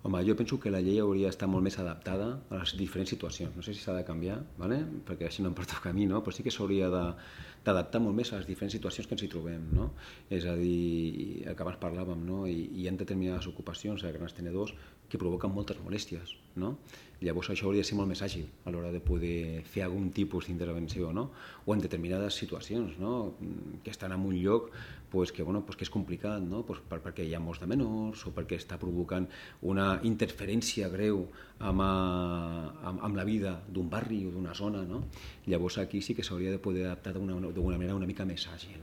Home, jo penso que la llei hauria d'estar molt més adaptada a les diferents situacions. No sé si s'ha de canviar, ¿vale? Perquè així no em pertoca a mi, no? Però sí que s'hauria d'adaptar molt més a les diferents situacions que ens hi trobem, no? És a dir, el que abans parlàvem, no? Hi ha determinades ocupacions a grans tenedors que provoquen moltes molèsties, no? Llavors això hauria de ser molt més àgil a l'hora de poder fer algun tipus d'intervenció, no? O en determinades situacions, no? Que estan en un lloc que és complicat, no? Perquè hi ha molts de menors o perquè està provocant una interferència greu amb la vida d'un barri o d'una zona, no? Llavors aquí sí que s'hauria de poder adaptar d'una manera una mica més àgil,